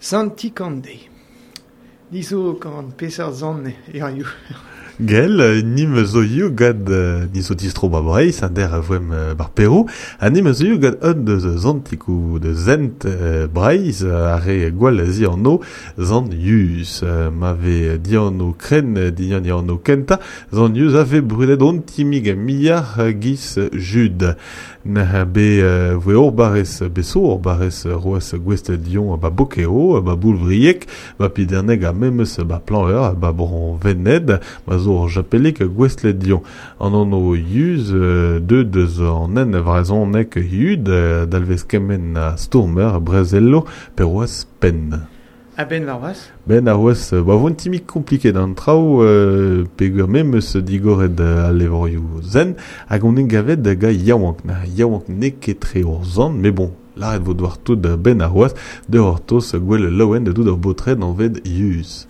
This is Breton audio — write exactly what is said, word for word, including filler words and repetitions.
Sant Tikande. Ni zo gant peseurt zant hiziv. Gell, nim zo io gant ni zo distro ba Breizh, an der a voem bar Perou, ha nim zo io gant un deus zantikou de zent Breizh, a re gwall zi anno zant Yus. Ma ve dianno kren dian dianno kenta, zant Yus a ve brudet on timig miar giz Jude. Na be voe ur barrez beso, ur barrez roas gwest dion ba bokeo, ba boulvriek, ba piderneg a memes ba planeur, ba bron vened, ba zo ur japelik gwestlet dion. An anno yuz, deux deus an en vrezhonek yud, dalvez kemen a stourmer brezello peroaz pen. A ben war Ben ar oaz, ba voan timik kompliket an traoù, euh, peogwir memes digoret al levrioù zen, hag on en gavet da ga yaouank. Na yaouank n'eo ket tre ur zant, mais bon, lâret vo doar tout ben ar oaz, de ur tos gwell laouen de dout ur botred an ved yuz.